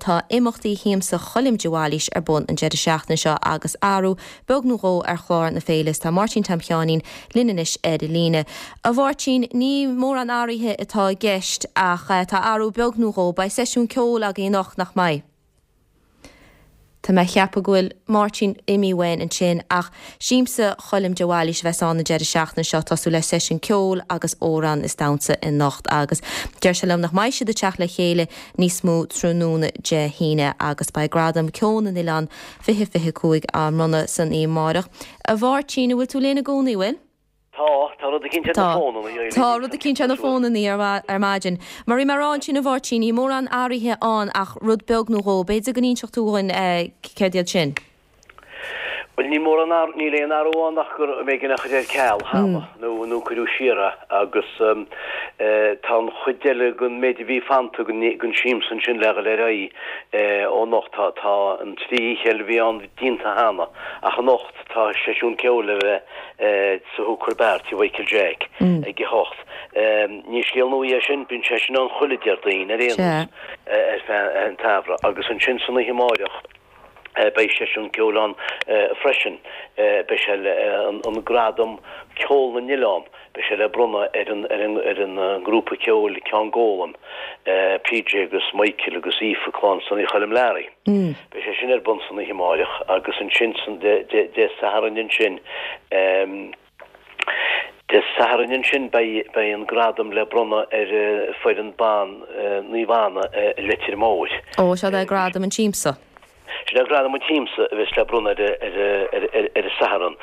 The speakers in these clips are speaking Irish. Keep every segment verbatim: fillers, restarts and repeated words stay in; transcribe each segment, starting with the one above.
tá imeachtaí Shiamsa Choilm de Bhailís ar bun an deireadh seachtaine seo agus athrú beag nó dhó ar chlár na féile tá Máirtín Tom Sheáinín linn anois ar an líne. A Mháirtín ní mórán athruithe atá i gceist ach eh, tá athrú beag nó dhó beidh seisiún ceoil againn anocht nach mbeidh. Tá mé ag ceapadh go bhfuil Máirtín imithe uainn ansin ach Siamsa Choilm de Bhailís a bheas ann an deireadh seachtaine seo tosú le seisiún ceoil agus amhrán is damhsa anocht agus deir sé liom nach mbeidh siad ag teacht le chéile níos mó tráthnóna Dé hAoine agus beidh gradam Ceol na nOileán fiche fiche cúig á mbronnadh san oíche amárach. A Mháirtín bhfuil tú linn i gcónaí bhfuil? Tá tá rud eicínt ar na fónanna Tá rud eicínt ar na fónanna ar ar maidin. Mar bhí mé ag rá ansin a Mháirtín níl mórán athruithe ann ach rud beag nó dhó, b'fhéidir go n-inseodh tú dhúinn eh, céard iad sin. Well ní mór níl aon athrú ann ach gur mé gin chuid ar ceal cheana nó nó cuireadh siar é agus um, eh, tá an chuid eile den méid a bhí fanta den den siamsa ansin le le rá eh, ó anocht tá tá an trí oíche a bhí ann déanta cheana ach anocht tá seisiún ceoil le bheith eh, sa Hooker Bar tí Michael Jack ag a hocht. Um, ní scéal nua é sin bíonn sé sin ann chuile Déardaoin ar aon nós ar feadh an tsamhraidh agus ansin san oíche amárach beidh seisiún ceoil ann freisin beidh sé an gradam ceol na nOileán beidh sé le bronnadh ar an ar an ar an grúpa ceoil Ceann Gólan PJ agus Michael agus Aoife clann Sonny Choilm Learaí. Mm. Beidh sé sin ar bun san oíche amárach agus ansin san Dé Sathairn ansin um, Dé Sathairn ansin beidh an gradam le bronnadh ar foireann ban Naomh Anna Leitir Móir. Ó seo é gradam an tsiamsa. Sin é gradam an tsiamsa a bheas le bronnadh ar ar an Satharn.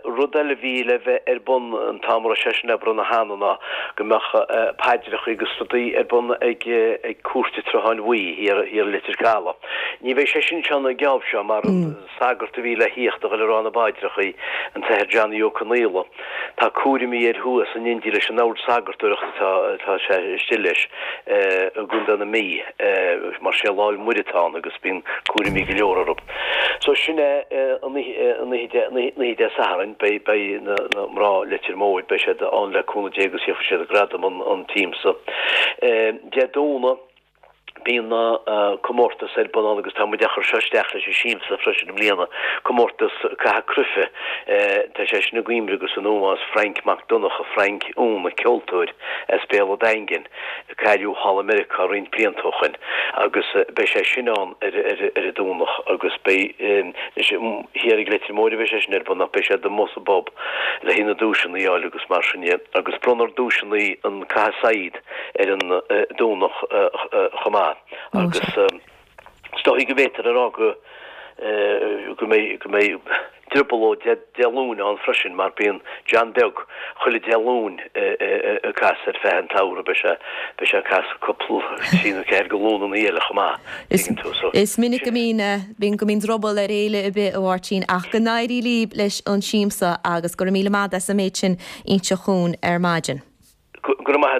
Rud eile bhí le bheith ar bun an t-am sé sin le bronnadh cheana ná go mbeadh paidreacha agus rudaí ar bun ag ag cúirt an tSrutháin Bhuí thiar thiar Leitir Caladh. Ní bheidh sé sin sean an geábh seo mar an sagart a bhí le theacht a dhul ag rá na bpaidreacha an tAthair Johnny Ó Conaola. Tá cúraimí air thuas in India leis an ord sagartóireachta tá tá sé istigh leis i gContae na Mí mar sé Lá Fhéile Muire atá ann agus bíonn cúraimí go leor orthu. So sin é an oíche Dé Sathairn beidh beidh na mná Leitir Móir beidh siad ann le cúnamh Dé agus íocfaidh siad gradam an an tsiamsa. Dé Domhnaigh bíonn comórtas ar bun agus tá muid á chur seo isteach leis an siamsa freisin i mbliana comórtas caitheamh cruife tá sé sin i gcuimhne agus in ómós Frank Mac Donncha Frank Úna ceoltóir as Béal an Daingin cailleadh thall i Meiriceá roinnt blianta ó shin agus beidh sé sin ann ar ar ar an Domhnach agus beidh thiar ag Leitir Móir beidh sé sin ar bun ach beidh sé amuigh sa bpub le haghaidh na duaiseanna a fháil agus mar sin agus bronnfar duaiseanna an caitheamh saighead ar an Domhnach chomh maith agus is dóigh go bhféadfar a rá go go mbeidh go mbeidh drioblóid Dé Luain ann freisin mar bíonn John Beag chuile Dé Luain ag casadh ar feadh an tsamhraidh beidh sé beidh sé ag casadh cúpla trí nó ceathair de Luananna eile chomh maith tú so. Is minic go mbíonn bíonn go mbíonn druball ar fhéile ar bith a Mháirtín ach go n-éirí libh leis an siamsa agus go raibh míle maith as an méid sin a inse dhúinn ar maidin. Go maith